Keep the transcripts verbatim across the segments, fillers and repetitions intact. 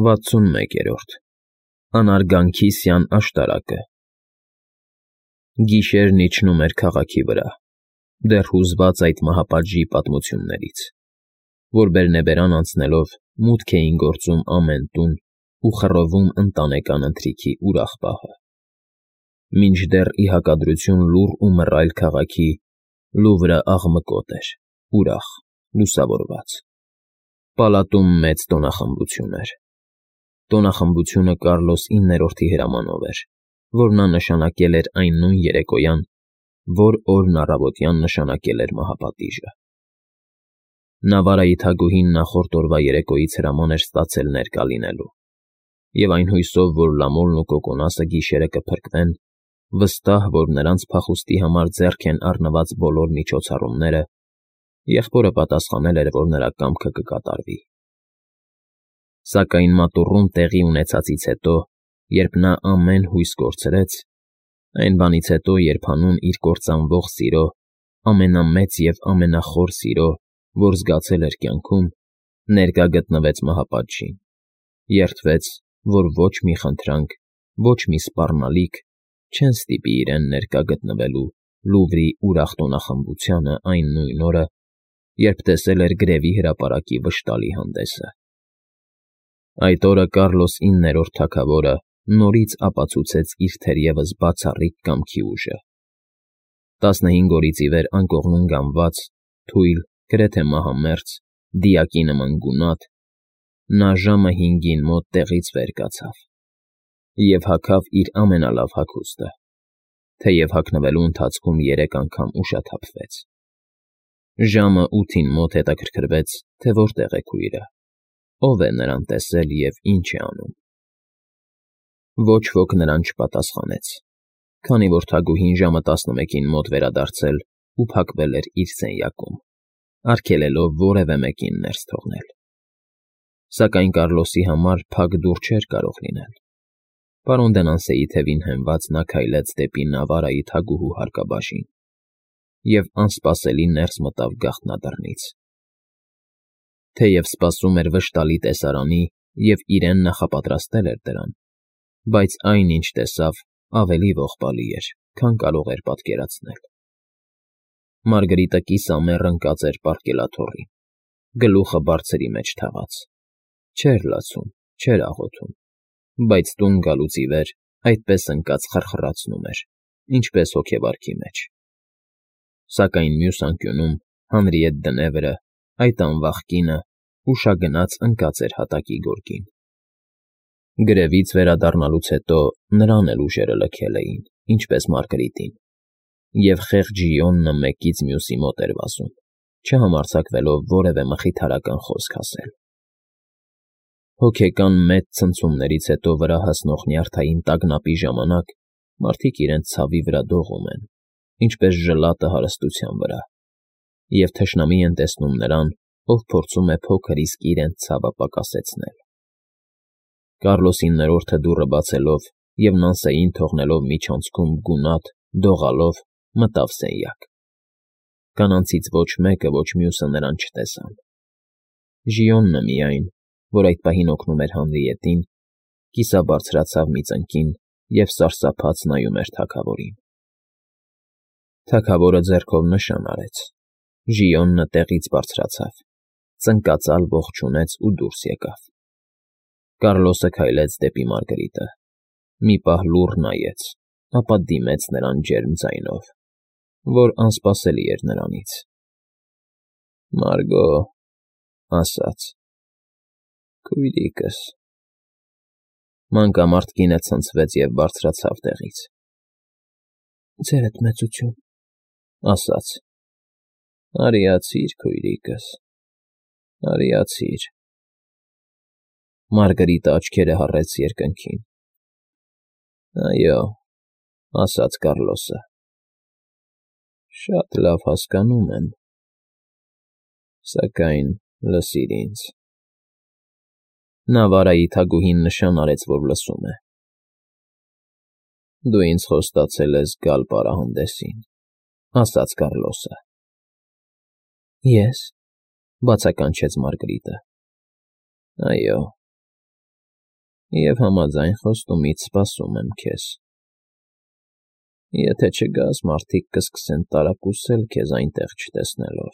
վաթսունմեկերորդ Անարգանքիսյան աշտարակը Գիշերն իջնում էր քաղաքի վրա, դեռ հուզված այդ մահապատժի պատմություններից, որ բերնեբերան անցնելով մուտք էին գործում ամեն տուն ու խռովում ընտանեկան ընթրիքի ուրախ պահը, մինչդեռ ի հակադրություն լուռ ու մռայլ քաղաքի, Լուվրը աղմկոտ էր, ուրախ, լուսավորված, պալատում մեծ տոնախմբություն էր, տոնախմբությունը Կարլոս իններորդի հրամանով էր, որ նա նշանակել էր այն նույն երեկոյան, որ օրն առավոտյան նշանակել էր մահապատիժը. Նավարայի թագուհին նախորդ օրվա երեկոյից հրաման էր ստացել ներկա լինելու, և այն հույսով, որ Լամոլն ու Կոկոնասը գիշերը կփրկվեն, վստահ, որ նրանց փախուստի համար ձեռք են առնված բոլոր միջոցառումները, եղբորը պատասխանել էր, որ նրա կամքը կկատարվի. Սակայն մատուռում տեղի ունեցածից հետո, երբ նա ամեն հույս կորցրեց, այն բանից հետո, երբ հանուն իր կործանվող սիրո, ամենամեծ և ամենախոր սիրո, որ զգացել էր կյանքում, ներկա գտնվեց մահապատժին, երդվեց, որ ոչ մի խնդրանք, ոչ մի սպառնալիք չեն ստիպի իրեն ներկա գտնվելու Լուվրի ուրախ տոնախմբությանը այն նույն օրը, երբ տեսել էր գրևի հրապարակի վշտալի հանդեսը. Այդ օրը Կարլոս իններորդ թագավորը նորից ապացուցեց իր թերևս բացառիկ կամքի ուժը. տասնհինգ օրից ի վեր անկողնում գանված, թույլ, գրեթե մահամերձ, դիակի նման գունատ, նա ժամը հինգին մոտ տեղից վեր կացավ և հագավ իր ամենալավ հագուստը, թեև հագնվելու ընթացքում երեք անգամ ուշաթափվեց. ժամը ութին մոտ հետաքրքրվեց, թե որտեղ է քույրը, ով է նրան տեսել և ինչ է անում. Ոչ ոք նրան չպատասխանեց, քանի որ թագուհին ժամը տասնմեկին մոտ վերադարձել ու փակվել էր իր սենյակում, արգելելով որևէ մեկին ներս թողնել. Սակայն Կարլոսի համար փակ դուռ չէր կարող լինել. Պարոն Դենանսեի թևին հենված նա քայլեց դեպի Նավարայի թագուհու հարկաբաժին և անսպասելի ներս մտավ գաղտնադռնից. թեև սպասում էր վշտալի տեսարանի և իրեն նախապատրաստել էր դրան, բայց այն, ինչ տեսավ, ավելի ողբալի էր, քան կարող էր պատկերացնել. Մարգրիտը կիսամեռ ընկած էր պարկելաթոռին, գլուխը բարձրի մեջ թաղած, չէր լացում, չէր աղոթում, բայց տուն գալուց ի վեր այդպես ընկած խռխռացնում էր, ինչպես հոգեվարքի մեջ. Սակայն մյուս անկյունում, Հանրիետ Դնևրը, այդ անվախ կինը, ուշագնաց ընկած էր հատակի գորգին. Գրևից վերադառնալուց հետո նրան էլ ուժերը լքել էին, ինչպես Մարգրիտին, և խեղճ Ժիոնը մեկից մյուսի մոտ էր վազում, չհամարձակվելով որևէ մխիթարական խոսք ասել. Հոգեկան մեծ ցնցումներից հետո վրա հասնող նյարդային տագնապի ժամանակ մարդիկ իրենց ցավի վրա դողում են, ինչպես ժլատը հարստության վրա, և թշնամի են տեսնում նրան, ով փորձում է փոքր իսկ իրենց ցավը պակասեցնել. Կարլոս իններորդը դուռը բացելով և Նանսեին թողնելով միջանցքում գունատ, դողալով, մտավ սենյակ. կանանցից ոչ մեկը, ոչ մյուսը նրան չտեսան. Ժիոնը միայն, որ այդ պահին օգնում էր Հանրիետին, կիսաբարձրացավ մի ծնկին և սարսափած նայում էր թագավորին. Թագավորը ձեռքով նշան արեց, Ժիոնը տեղից բարձրացավ, ծնկածալ ողջունեց ու դուրս եկավ. Կարլոսը քայլեց դեպի Մարգրիտը, մի պահ լուռ նայեց, ապա դիմեց նրան ջերմ ձայնով, որ անսպասելի էր նրանից. Մարգո, ասաց. Քույրիկս… Մանկամարդ կինը ցնցվեց և բարձրացավ տեղից. Ձերդ մեծություն, ասաց. Արիացիր, քույրիկս, արիացիր… Մարգրիտը աչքերը հառեց երկնքին. Այո, ասաց Կարլոսը… Շատ լավ հասկանում եմ, սակայն լսիր ինձ… Նավարայի թագուհին նշան արեց, որ լսում է. Դու ինձ խոստացել ես գալ պարահանդեսին, ասաց Կարլոսը։ Ե՞ս, բացականչեց Մարգրիտը։ Այո, Եվ համաձայն խոստումից սպասում եմ քեզ։ Եթե չգաս, մարդիկ կսկսեն տարակուսել քեզ այնտեղ չտեսնելով։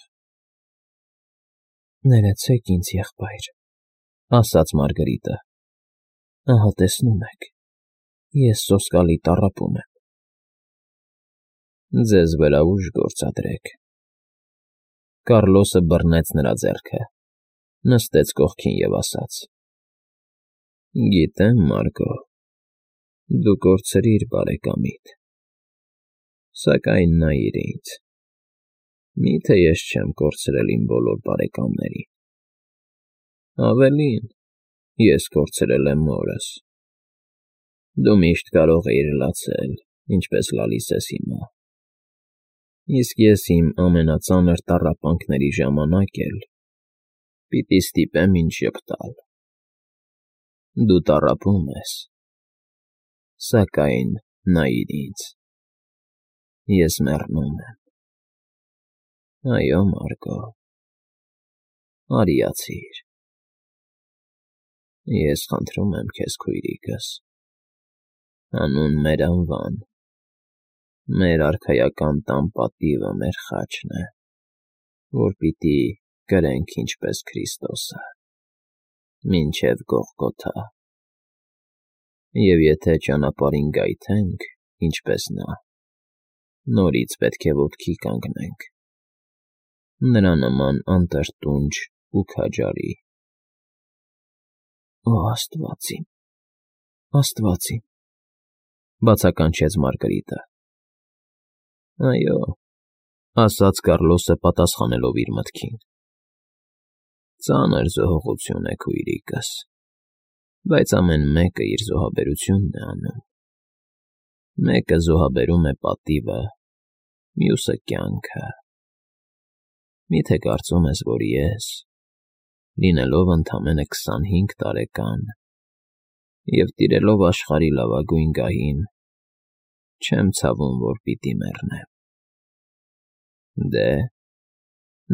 ֊ Ներեցեք ինձ, եղբայր,֊ ասաց Մարգարիտը։ ֊ Ահա տեսնում եք, ես սոսկալի տառապում եմ։ ֊ Ձեզ վրա ուժ գործադրեք։ Կառլոսը բռնեց նրա ձեռքը, նստեց կողքին և ասաց. Գիտեմ, Մարգո, դու կորցրիր բարեկամիդ, սակայն նայիր ինձ, մի՞թե ես չեմ կորցրել իմ բոլոր բարեկամներին, ավելին, ես կորցրել եմ մորս, դու միշտ կարող էիր լացել, ինչպես լալիս ես հիմա, իսկ ես իմ ամենածանր տառապանքների ժամանակ էլ պիտի ստիպեմ ինձ ժպտալ, դու տառապում ես, սակայն նայիր ինձ, ես մեռնում եմ, այո, Մարգո, արիացիր, ես խնդրում եմ քեզ, քույրիկս, հանուն մեր անվան, մեր արքայական տան պատիվը մեր խաչն է, որ պիտի կրենք ինչպես Քրիստոսը, մինչև Գողգոթա, և եթե ճանապարհին գայթենք, ինչպես նա, նորից պետք է ոտքի կանգնենք, նրա նման անտրտունջ ու քաջարի։ ֊ Օ աստված իմ, աստված իմ,֊ բացականչեց Մարգարիտը։ ֊ Այո,֊ ասաց Կառլոսը պատասխանելով իր մտքին,֊ ծանր զոհողություն է, քույրիկս, բայց ամեն մեկը իր զոհաբերությունն է անում, մեկը զոհաբերում է պատիվը, մյուսը կյանքը, մի՞թե կարծում ես, որ ես, լինելով ընդամենը քսանհինգ տարեկան և տիրելով աշխարհի լավագույն գահին, չեմ ցավում, որ պիտի մեռնեմ, դե,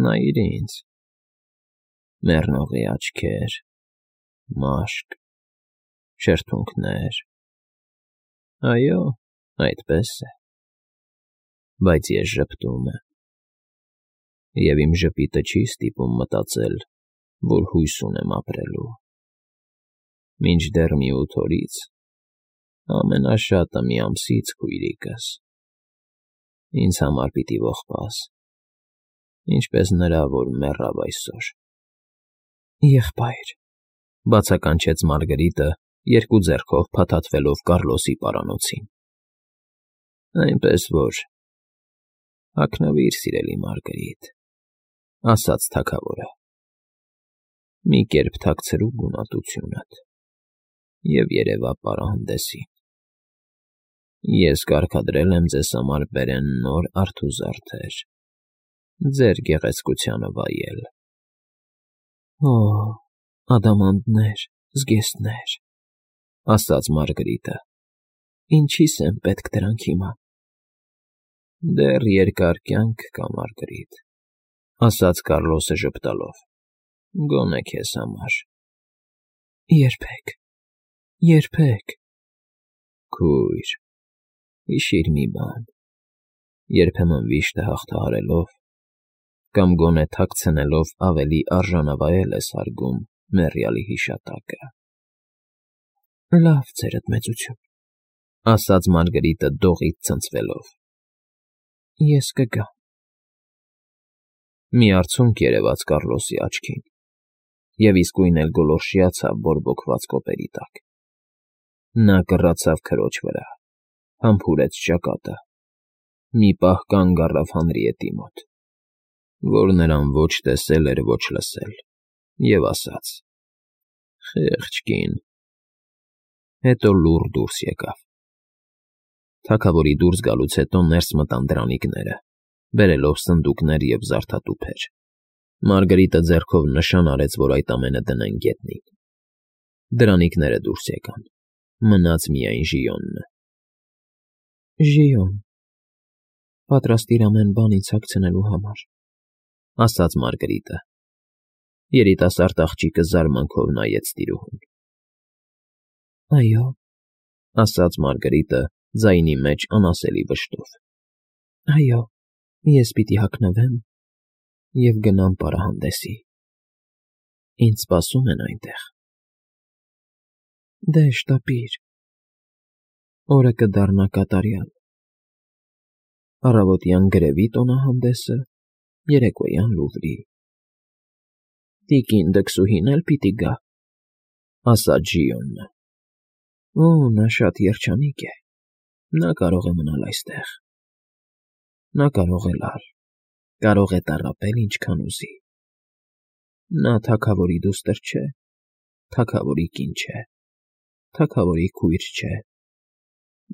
նայիր ինձ, մեռնողի աչքեր, մաշկ, շրթունքներ, այո, այդպես է, բայց ես ժպտում եմ, և իմ ժպիտը չի ստիպում մտածել, որ հույս ունեմ ապրելու, մինչդեռ մի ութ օրից, ամենաշատը մի ամսից, քույրիկս, ինձ համար պիտի ողբաս, ինչպես նրա, որ մեռավ այսօր։ ֊ Եղբայր,֊ բացականչեց Մարգարիտը, երկու ձեռքով փաթաթվելով Կառլոսի պարանոցին։ ֊ Այնպես որ, հագնվիր, սիրելի Մարգարիտ,֊ ասաց թագավորը, մի կերպ թաքցրու գունատությունդ և երևա պարահանդեսին, ես կարգադրել եմ ձեզ համար բերեն նոր արթուզարդեր, ձեր գեղեցկությանը վայել։ ֊ Օ, ադամանդներ, զգեստներ,֊ ասաց Մարգարիտը, ինչի՞ս եմ պետք դրանք հիմա։ ֊ Դեռ երկար կյանք կա, Մարգարիտ,֊ ասաց Կառլոսը ժպտալով, գոնե քեզ համար։ ֊ Երբեք, երբեք։ ֊ Քույր, հիշիր մի բան, երբեմն վիշտը հաղթահարելով կամ գոնե թաքցնելով ավելի արժանավայել ես հարգում մեռյալի հիշատակը։ ֊ Լավ, ձերդ մեծություն,֊ ասաց Մարգարիտը դողից ցնցվելով, ես կգամ։ Մի արցունք երևաց Կառլոսի աչքին, և իսկույն էլ գոլորշիացավ բորբոքված կոպերի տակ։ Նա կռացավ քրոջ վրա, համբուրեց ճակատը, մի պահ կանգ առավ Հանրիետի մոտ, որ նրան ոչ տեսել էր, ոչ լսել, և ասաց. «Խեղճ կին», հետո լուռ դուրս եկավ։ Թագավորի դուրս գալուց հետո ներս մտան դրանիկները, բերելով սնդուկներ և զարդատուփեր։ Մարգարիտը ձեռքով նշան արեց, որ այդ ամենը դնեն գետնին։ Դրանիկները դուրս եկան, մնաց միայն Ժիոնը։ ֊ Ժիոն, պատրաստ իր ամեն բան ինձ հագցնելու համար,֊ ասաց Մարգարիտը։ Երիտասարդ աղջիկը զարմանքով նայեց տիրուհուն։ Այո, ասաց Մարգարիտը ձայնի մեջ անասելի վշտով։ այո, ես պիտի հագնվեմ և գնամ պարահանդեսի։ Ինձ սպասում են այնտեղ։ Դե շտապիր, օրը կդառնա կատարյալ, առավոտյան գրևի տոնահանդեսը, երեկոյան Լուվրի։ Տիկին դքսուհին էլ պիտի գա, ասաց Ժիոնը։ Օ, նա շատ երջանիկ է, նա կարող է մնալ այստեղ, նա կարող է լալ, կարող է տառապել ինչքան ուզի։ Նա թագավորի դուստր չէ, թագավորի կին չէ, թագավորի քույր չէ,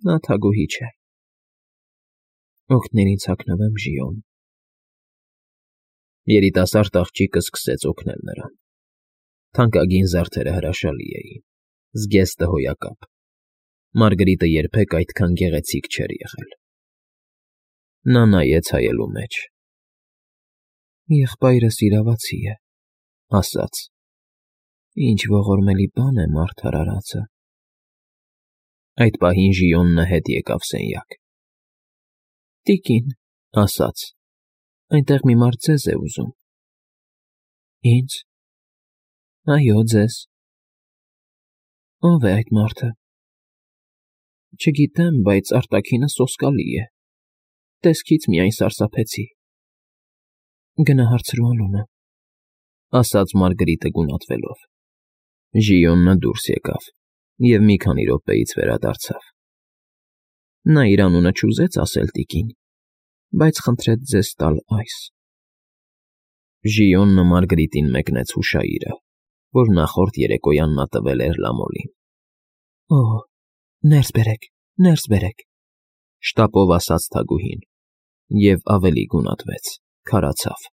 նա թագուհի չէ։ Օգներ ինձ հագնվեմ, Ժիոն։ Երիտասարդ աղջիկը սկսեց օգնել նրան։ Թանկագին զարդերը հրաշալի էին, զգեստը հոյակապ։ Մարգարիտը երբեք այդքան գեղեցիկ չէր եղել։ Նա նայեց հայելու մեջ։ Եղբայրս իրավացի է, ասաց։ Ինչ ողորմելի բան է մարդ արարածը։ Այդ պահին Ժիոնը հետ եկավ սենյակ։ Տիկին, ասաց. այնտեղ մի մարդ ձեզ է ուզում։ Ինձ։ Այո, ձեզ։ Ո՞վ է այդ մարդը։ Չգիտեմ, բայց արտաքինը սոսկալի է, տեսքից միայն սարսափեցի։ Գնա հարցրու անունը, ասաց Մարգարիտը գունատվելով։ Ժիոնը դուրս եկավ և մի քանի րոպեից վերադարձավ։ Նա իր անունը չուզեց ասել տիկին, բայց խնդրեց ձեզ տալ այս։ Ժիոնը Մարգարիտին մեկնեց հուշաիրը, որ նախորդ երեկոյան նա տվել էր Լամոլին։ Օ, ներս բերեք, ներս բերեք, շտապով ասաց թագուհին և ավելի գունատվեց, քարացավ։